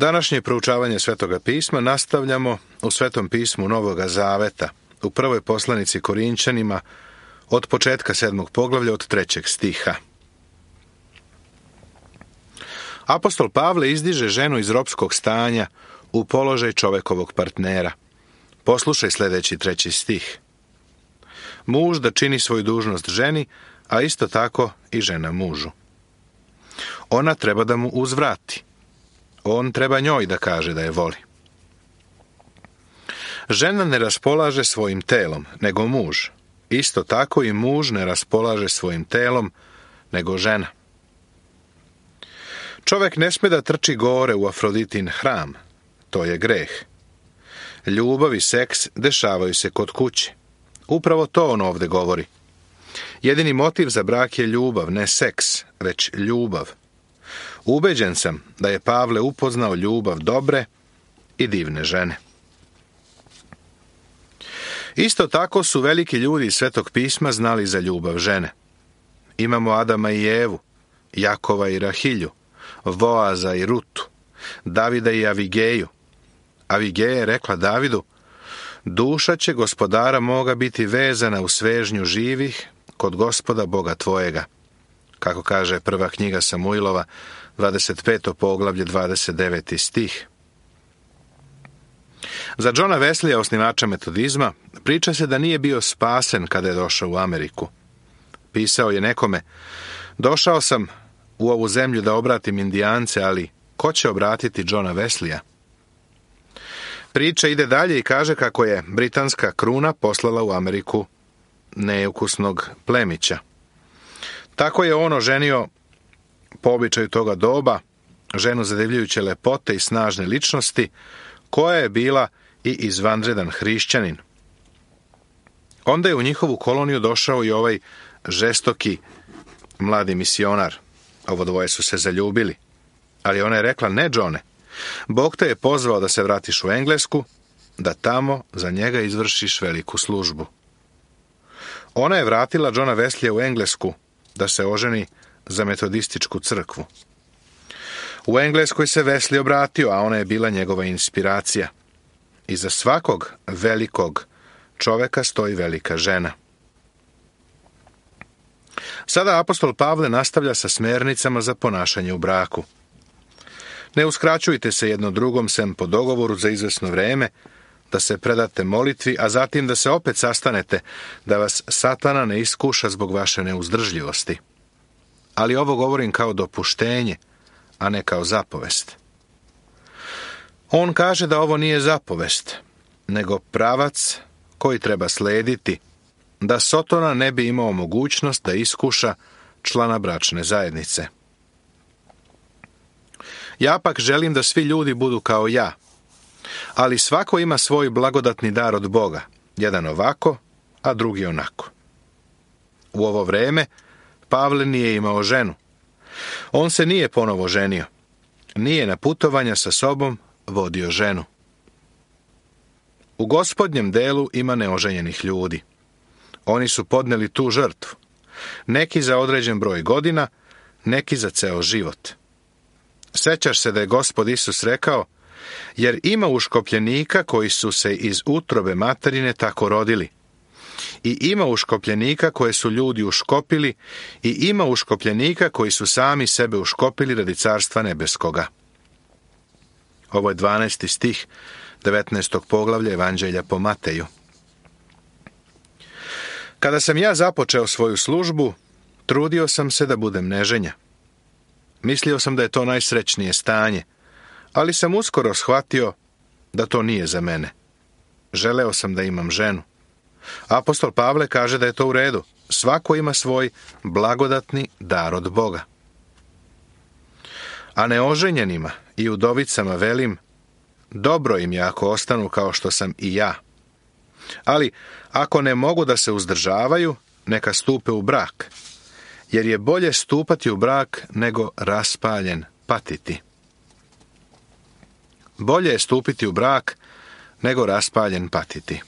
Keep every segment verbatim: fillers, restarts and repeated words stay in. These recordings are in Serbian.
Današnje proučavanje Svetoga pisma nastavljamo u Svetom pismu Novoga Zaveta, u prvoj poslanici Korinćanima, od početka sedmog poglavlja, od trećeg stiha. Apostol Pavle izdiže ženu iz ropskog stanja u položaj čovekovog partnera. Poslušaj sljedeći treći stih. Muž da čini svoju dužnost ženi, a isto tako i žena mužu. Ona treba da mu uzvrati. On treba njoj da kaže da je voli. Žena ne raspolaže svojim telom, nego muž. Isto tako i muž ne raspolaže svojim telom, nego žena. Čovek ne sme da trči gore u Afroditin hram. To je greh. Ljubav i seks dešavaju se kod kuće. Upravo to on ovde govori. Jedini motiv za brak je ljubav, ne seks, već ljubav. Ubeđen sam da je Pavle upoznao ljubav dobre i divne žene. Isto tako su veliki ljudi iz Svetog pisma znali za ljubav žene. Imamo Adama i Evu, Jakova i Rahilju, Voaza i Rutu, Davida i Avigeju. Avigeja je rekla Davidu: duša će gospodara moga biti vezana u svežnju živih kod Gospoda Boga tvojega. Kako kaže prva knjiga Samuilova, dvadeset peto poglavlje, dvadeset deveti stih. Za Johna Wesleya, osnivača metodizma, priča se da nije bio spasen kada je došao u Ameriku. Pisao je nekome: došao sam u ovu zemlju da obratim Indijance, ali ko će obratiti Johna Wesleya? Priča ide dalje i kaže kako je britanska kruna poslala u Ameriku neukusnog plemića. Tako je on oženio, po običaju toga doba, ženu zadivljujuće lepote i snažne ličnosti, koja je bila i izvanredan hrišćanin. Onda je u njihovu koloniju došao i ovaj žestoki mladi misionar. Ovo dvoje su se zaljubili. Ali ona je rekla: ne, Johne, Bog te je pozvao da se vratiš u Englesku, da tamo za njega izvršiš veliku službu. Ona je vratila Johna Wesleya u Englesku da se oženi za metodističku crkvu. U Engleskoj se Wesley obratio, a ona je bila njegova inspiracija. Iza svakog velikog čoveka stoji velika žena. Sada apostol Pavle nastavlja sa smernicama za ponašanje u braku. Ne uskraćujte se jedno drugom sem po dogovoru za izvesno vreme, da se predate molitvi, a zatim da se opet sastanete, da vas Satana ne iskuša zbog vaše neuzdržljivosti. Ali ovo govorim kao dopuštenje, a ne kao zapovest. On kaže da ovo nije zapovest, nego pravac koji treba slediti, da Sotona ne bi imao mogućnost da iskuša člana bračne zajednice. Ja pak želim da svi ljudi budu kao ja, ali svako ima svoj blagodatni dar od Boga, jedan ovako, a drugi onako. U ovo vreme Pavle nije imao ženu. On se nije ponovo ženio. Nije na putovanja sa sobom vodio ženu. U Gospodnjem delu ima neoženjenih ljudi. Oni su podneli tu žrtvu. Neki za određen broj godina, neki za ceo život. Sećaš se da je Gospod Isus rekao: jer ima uškopljenika koji su se iz utrobe materine tako rodili. I ima uškopljenika koje su ljudi uškopili, i ima uškopljenika koji su sami sebe uškopili radi carstva nebeskoga. Ovo je dvanaesti stih devetnaestog poglavlja Evanđelja po Mateju. Kada sam ja započeo svoju službu, trudio sam se da budem neženja. Mislio sam da je to najsrećnije stanje, ali sam uskoro shvatio da to nije za mene. Želeo sam da imam ženu. Apostol Pavle kaže da je to u redu. Svako ima svoj blagodatni dar od Boga. A neoženjenima i udovicama velim: dobro im je ako ostanu kao što sam i ja. Ali ako ne mogu da se uzdržavaju, neka stupe u brak, jer je bolje stupati u brak nego raspaljen patiti. Bolje je stupiti u brak nego raspaljen patiti.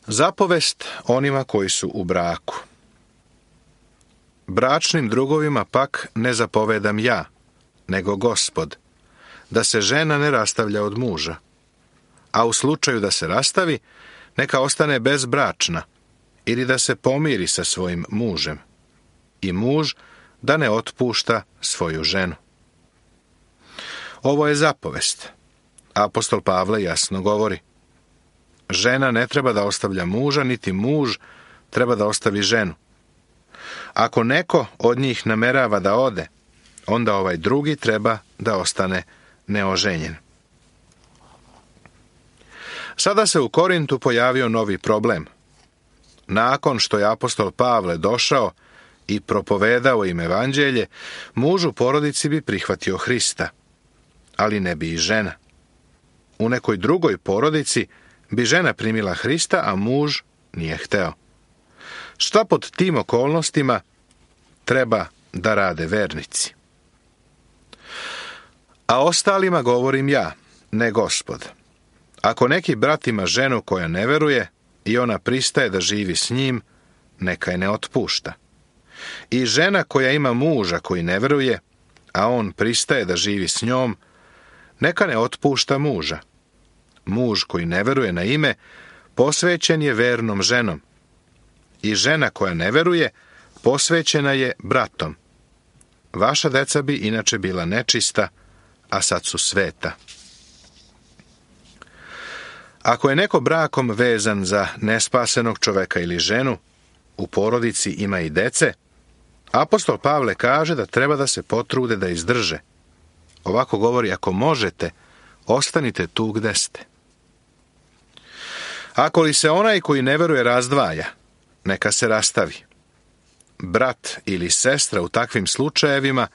Zapovest onima koji su u braku. Bračnim drugovima pak ne zapovedam ja, nego Gospod, da se žena ne rastavlja od muža, a u slučaju da se rastavi, neka ostane bezbračna ili da se pomiri sa svojim mužem, i muž da ne otpušta svoju ženu. Ovo je zapovest. Apostol Pavle jasno govori: žena ne treba da ostavlja muža, niti muž treba da ostavi ženu. Ako neko od njih namerava da ode, onda ovaj drugi treba da ostane neoženjen. Sada se u Korintu pojavio novi problem. Nakon što je apostol Pavle došao i propovedao im evanđelje, muž u porodici bi prihvatio Hrista, ali ne bi i žena. U nekoj drugoj porodici bi žena primila Hrista, a muž nije hteo. Šta pod tim okolnostima treba da rade vernici? A ostalima govorim ja, ne Gospod. Ako neki brat ima ženu koja ne veruje i ona pristaje da živi s njim, neka je ne otpušta. I žena koja ima muža koji ne veruje, a on pristaje da živi s njom, neka ne otpušta muža. Muž koji ne veruje na ime, posvećen je vernom ženom. I žena koja ne veruje, posvećena je bratom. Vaša deca bi inače bila nečista, a sad su sveta. Ako je neko brakom vezan za nespasenog čoveka ili ženu, u porodici ima i dece, apostol Pavle kaže da treba da se potrude da izdrže. Ovako govori: ako možete, ostanite tu gde ste. Ako li se onaj koji ne veruje razdvaja, neka se rastavi. Brat ili sestra u takvim slučajevima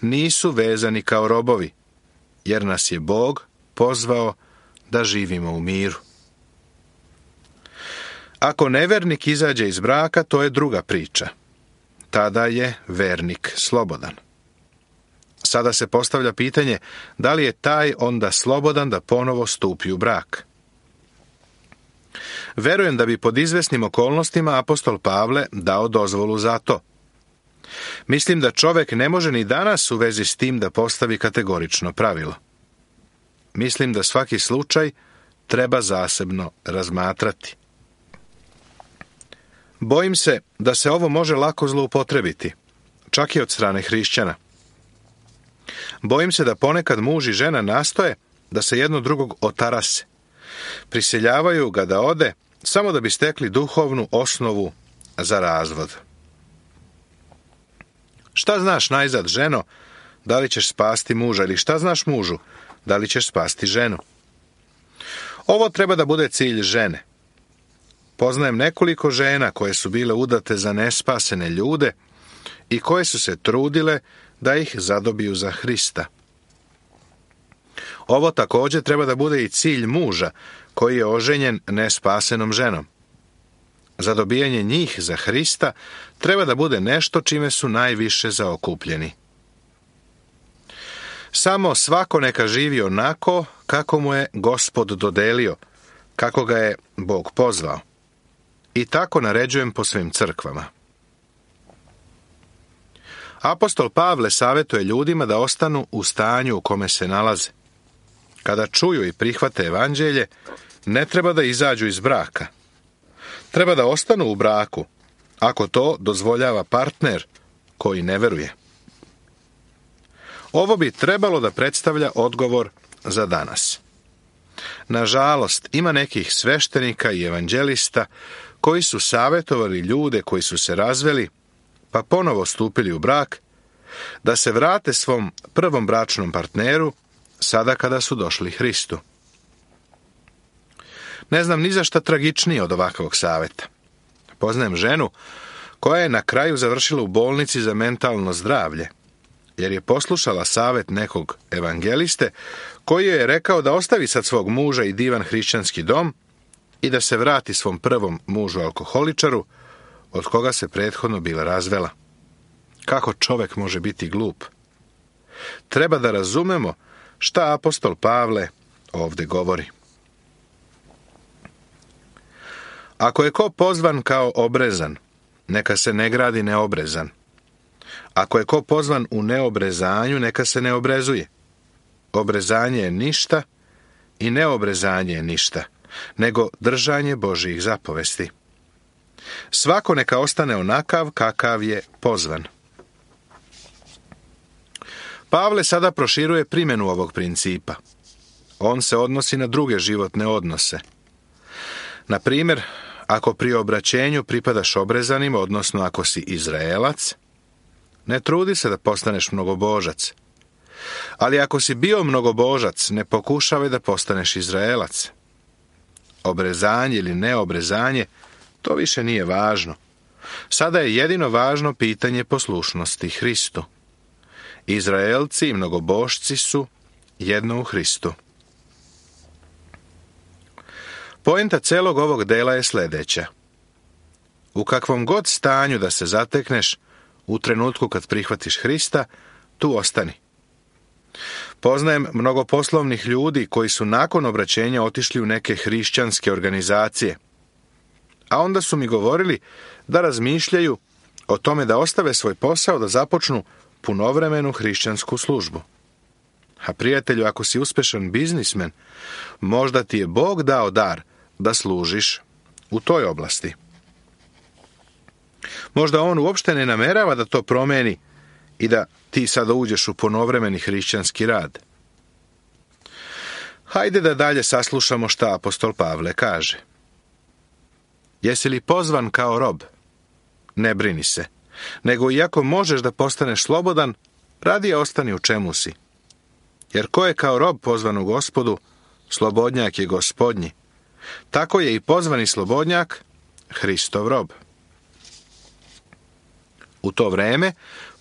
nisu vezani kao robovi, jer nas je Bog pozvao da živimo u miru. Ako nevernik izađe iz braka, to je druga priča. Tada je vernik slobodan. Sada se postavlja pitanje, da li je taj onda slobodan da ponovo stupi u brak? Verujem da bi pod izvesnim okolnostima apostol Pavle dao dozvolu za to. Mislim da čovek ne može ni danas u vezi s tim da postavi kategorično pravilo. Mislim da svaki slučaj treba zasebno razmatrati. Bojim se da se ovo može lako zloupotrebiti, čak i od strane hrišćana. Bojim se da ponekad muž i žena nastoje da se jedno drugog otarase. Prisiljavaju ga da ode samo da bi stekli duhovnu osnovu za razvod. Šta znaš najzad, ženo, da li ćeš spasti muža, ili šta znaš mužu, da li ćeš spasti ženu? Ovo treba da bude cilj žene. Poznajem nekoliko žena koje su bile udate za nespasene ljude i koje su se trudile da ih zadobiju za Hrista. Ovo također treba da bude i cilj muža koji je oženjen nespasenom ženom. Zadobijanje njih za Hrista treba da bude nešto čime su najviše zaokupljeni. Samo svako neka živi onako kako mu je Gospod dodelio, kako ga je Bog pozvao. I tako naređujem po svim crkvama. Apostol Pavle savjetuje ljudima da ostanu u stanju u kome se nalaze. Kada čuju i prihvate evanđelje, ne treba da izađu iz braka. Treba da ostanu u braku, ako to dozvoljava partner koji ne veruje. Ovo bi trebalo da predstavlja odgovor za danas. Nažalost, ima nekih sveštenika i evanđelista koji su savjetovali ljude koji su se razveli, pa ponovo stupili u brak, da se vrate svom prvom bračnom partneru sada kada su došli Hristu. Ne znam ni za šta tragičnije od ovakvog savjeta. Poznajem ženu koja je na kraju završila u bolnici za mentalno zdravlje, jer je poslušala savjet nekog evangeliste koji joj je rekao da ostavi sad svog muža i divan hrišćanski dom i da se vrati svom prvom mužu alkoholičaru, od koga se prethodno bila razvela. Kako čovek može biti glup? Treba da razumemo šta apostol Pavle ovdje govori. Ako je ko pozvan kao obrezan, neka se ne gradi neobrezan. Ako je ko pozvan u neobrezanju, neka se ne obrezuje. Obrezanje je ništa i neobrezanje je ništa, nego držanje Božjih zapovesti. Svako neka ostane onakav kakav je pozvan. Pavle sada proširuje primjenu ovog principa. On se odnosi na druge životne odnose. Na primjer, ako pri obraćenju pripadaš obrezanim, odnosno ako si Izraelac, ne trudi se da postaneš mnogobožac. Ali ako si bio mnogobožac, ne pokušavaj da postaneš Izraelac. Obrezanje ili neobrezanje, to više nije važno. Sada je jedino važno pitanje poslušnosti Hristu. Izraelci i mnogobošci su jedno u Hristu. Poenta celog ovog dela je sljedeća. U kakvom god stanju da se zatekneš, u trenutku kad prihvatiš Hrista, tu ostani. Poznajem mnogo poslovnih ljudi koji su nakon obraćenja otišli u neke hrišćanske organizacije. A onda su mi govorili da razmišljaju o tome da ostave svoj posao, da započnu punovremenu hrišćansku službu. A prijatelju, ako si uspešan biznismen, možda ti je Bog dao dar da služiš u toj oblasti. Možda on uopšte ne namerava da to promeni i da ti sada uđeš u ponovremeni hrišćanski rad. Hajde da dalje saslušamo šta apostol Pavle kaže. Jesi li pozvan kao rob? Ne brini se, nego iako možeš da postaneš slobodan, radije ostani u čemu si. Jer ko je kao rob pozvan u Gospodu, slobodnjak je Gospodnji. Tako je i pozvani slobodnjak Hristov rob. U to vreme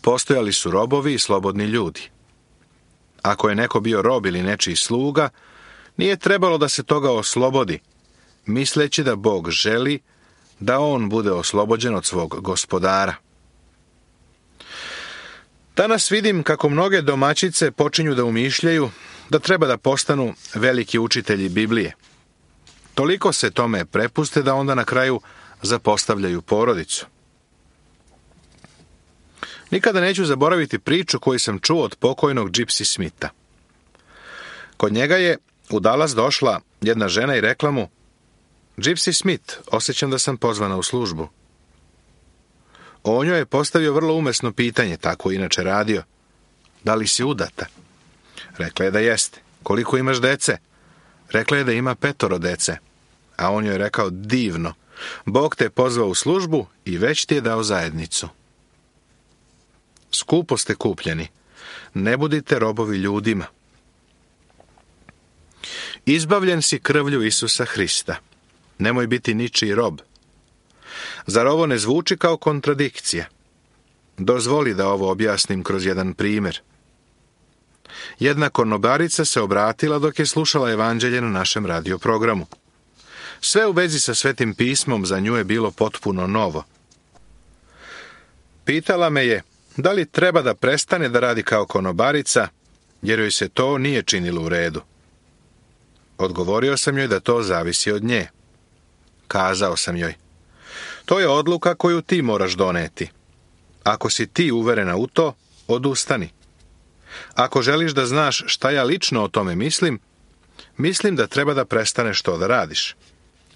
postojali su robovi i slobodni ljudi. Ako je neko bio rob ili nečiji sluga, nije trebalo da se toga oslobodi, misleći da Bog želi da on bude oslobođen od svog gospodara. Danas vidim kako mnoge domaćice počinju da umišljaju da treba da postanu veliki učitelji Biblije. Toliko se tome prepuste da onda na kraju zapostavljaju porodicu. Nikada neću zaboraviti priču koju sam čuo od pokojnog Gypsy Smitha. Kod njega je u Dallas došla jedna žena i rekla mu: Gypsy Smith, osjećam da sam pozvana u službu. On joj je postavio vrlo umesno pitanje, tako inače radio. Da li si udata? Rekla je da jeste. Koliko imaš dece? Rekla je da ima petoro dece. A on joj je rekao: divno, Bog te je pozvao u službu i već ti je dao zajednicu. Skupo ste kupljeni. Ne budite robovi ljudima. Izbavljen si krvlju Isusa Hrista. Nemoj biti ničiji rob. Zar ovo ne zvuči kao kontradikcija? Dozvoli da ovo objasnim kroz jedan primjer. Jedna konobarica se obratila dok je slušala evanđelje na našem radio programu. Sve u vezi sa Svetim pismom za nju je bilo potpuno novo. Pitala me je da li treba da prestane da radi kao konobarica, jer joj se to nije činilo u redu. Odgovorio sam joj da to zavisi od nje. Kazao sam joj: to je odluka koju ti moraš doneti. Ako si ti uverena u to, odustani. Ako želiš da znaš šta ja lično o tome mislim, mislim da treba da prestaneš to da radiš.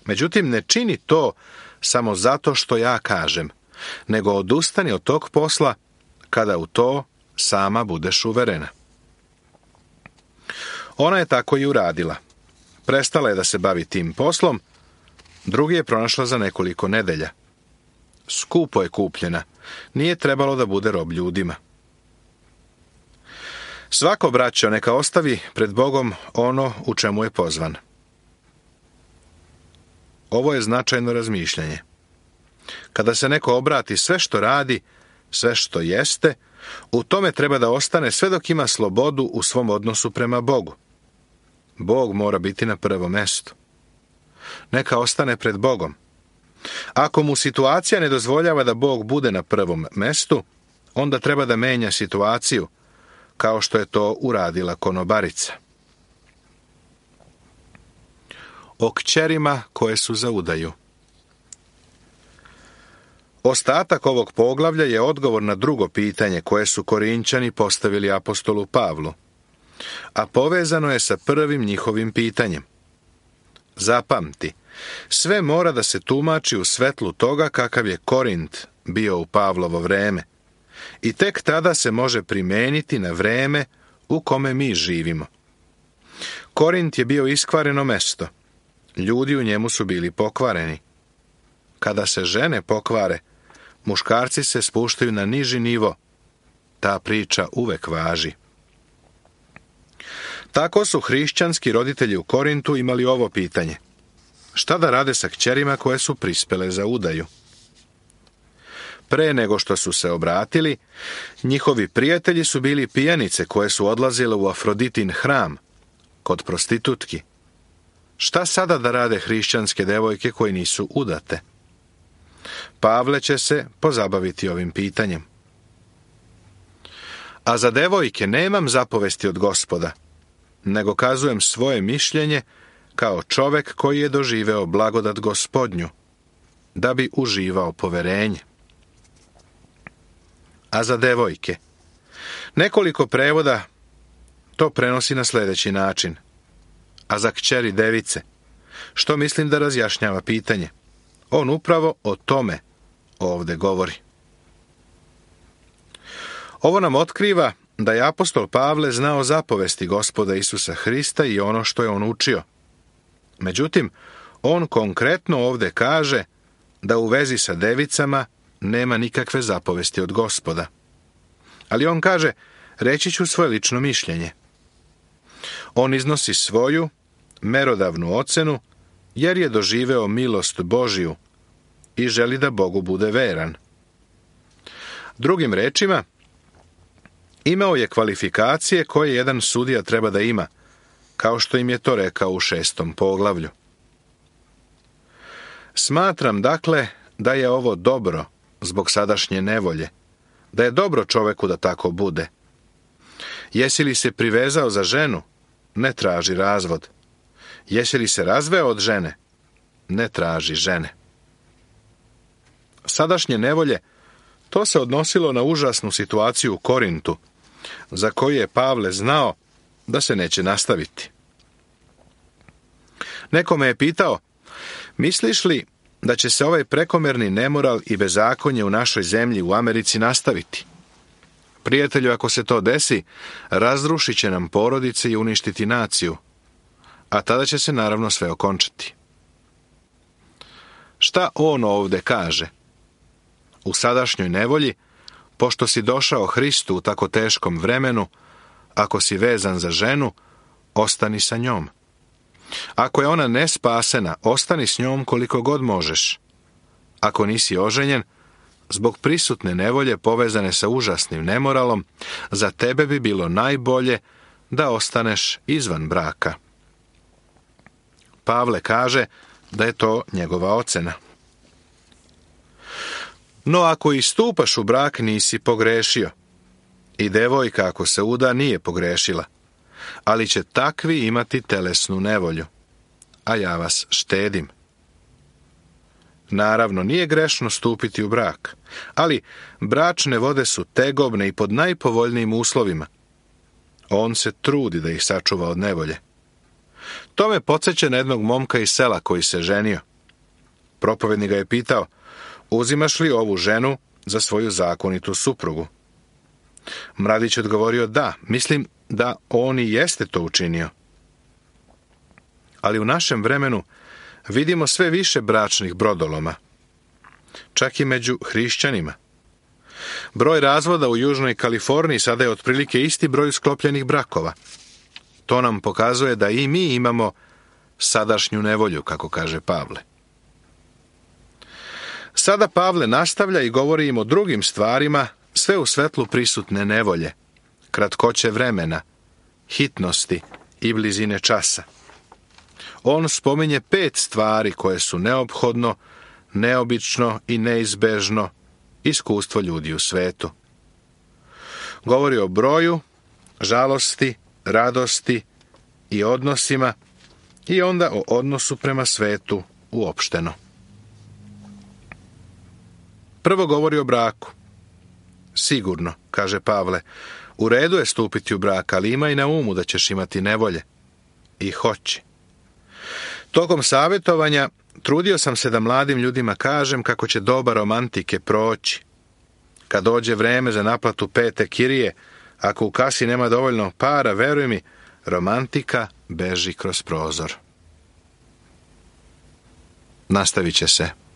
Međutim, ne čini to samo zato što ja kažem, nego odustani od tog posla kada u to sama budeš uverena. Ona je tako i uradila. Prestala je da se bavi tim poslom, drugi je pronašla za nekoliko nedelja. Skupo je kupljena, nije trebalo da bude rob ljudima. Svako, braćo, neka ostavi pred Bogom ono u čemu je pozvan. Ovo je značajno razmišljanje. Kada se neko obrati, sve što radi, sve što jeste, u tome treba da ostane sve dok ima slobodu u svom odnosu prema Bogu. Bog mora biti na prvom mestu. Neka ostane pred Bogom. Ako mu situacija ne dozvoljava da Bog bude na prvom mestu, onda treba da menja situaciju, kao što je to uradila konobarica. O kćerima koje su za udaju. Ostatak ovog poglavlja je odgovor na drugo pitanje koje su Korinćani postavili apostolu Pavlu, a povezano je sa prvim njihovim pitanjem. Zapamti, sve mora da se tumači u svetlu toga kakav je Korint bio u Pavlovo vreme i tek tada se može primeniti na vreme u kome mi živimo. Korint je bio iskvareno mesto. Ljudi u njemu su bili pokvareni. Kada se žene pokvare, muškarci se spuštaju na niži nivo. Ta priča uvek važi. Tako su hrišćanski roditelji u Korintu imali ovo pitanje. Šta da rade sa kćerima koje su prispele za udaju? Pre nego što su se obratili, njihovi prijatelji su bili pijanice koje su odlazile u Afroditin hram, kod prostitutki. Šta sada da rade hrišćanske devojke koje nisu udate? Pavle će se pozabaviti ovim pitanjem. A za devojke nemam zapovesti od Gospoda, nego kazujem svoje mišljenje kao čovek koji je doživeo blagodat Gospodnju, da bi uživao poverenje. A za devojke, nekoliko prevoda to prenosi na sljedeći način. A za kćeri device, što mislim da razjašnjava pitanje. On upravo o tome ovde govori. Ovo nam otkriva da je apostol Pavle znao zapovesti Gospoda Isusa Hrista i ono što je on učio. Međutim, on konkretno ovde kaže da u vezi sa devicama nema nikakve zapovesti od Gospoda. Ali on kaže, reći ću svoje lično mišljenje. On iznosi svoju merodavnu ocenu, jer je doživeo milost Božiju i želi da Bogu bude veran. Drugim rečima, imao je kvalifikacije koje jedan sudija treba da ima, kao što im je to rekao u šestom poglavlju. Smatram, dakle, da je ovo dobro zbog sadašnje nevolje, da je dobro čoveku da tako bude. Jesi li se privezao za ženu? Ne traži razvod. Jesi li se razveo od žene? Ne traži žene. Sadašnje nevolje, to se odnosilo na užasnu situaciju u Korintu, za koju je Pavle znao da se neće nastaviti. Neko me je pitao, misliš li da će se ovaj prekomerni nemoral i bezakonje u našoj zemlji u Americi nastaviti? Prijatelju, ako se to desi, razrušit će nam porodice i uništiti naciju, a tada će se naravno sve okončati. Šta on ovde kaže? U sadašnjoj nevolji, pošto si došao Hristu u tako teškom vremenu, ako si vezan za ženu, ostani sa njom. Ako je ona nespasena, ostani s njom koliko god možeš. Ako nisi oženjen, zbog prisutne nevolje povezane sa užasnim nemoralom, za tebe bi bilo najbolje da ostaneš izvan braka. Pavle kaže da je to njegova ocena. No ako i stupaš u brak, nisi pogrešio. I devojka ako se uda nije pogrešila, ali će takvi imati telesnu nevolju, a ja vas štedim. Naravno, nije grešno stupiti u brak, ali bračne vode su tegobne i pod najpovoljnijim uslovima. On se trudi da ih sačuva od nevolje. To me podsjeća na jednog momka iz sela koji se ženio. Propovednik ga je pitao, uzimaš li ovu ženu za svoju zakonitu suprugu? Mladić odgovorio, da, mislim da on i jeste to učinio. Ali u našem vremenu vidimo sve više bračnih brodoloma, čak i među hrišćanima. Broj razvoda u Južnoj Kaliforniji sada je otprilike isti broj sklopljenih brakova. To nam pokazuje da i mi imamo sadašnju nevolju, kako kaže Pavle. Sada Pavle nastavlja i govori im o drugim stvarima, sve u svetlu prisutne nevolje, kratkoće vremena, hitnosti i blizine časa. On spominje pet stvari koje su neophodno, neobično i neizbežno iskustvo ljudi u svetu. Govori o broju, žalosti, radosti i odnosima i onda o odnosu prema svetu uopšteno. Prvo govori o braku. Sigurno, kaže Pavle, u redu je stupiti u brak, ali imaj na umu da ćeš imati nevolje. I hoći. Tokom savjetovanja trudio sam se da mladim ljudima kažem kako će doba romantike proći. Kad dođe vreme za naplatu pete kirije, ako u kasi nema dovoljno para, veruj mi, romantika beži kroz prozor. Nastavit će se.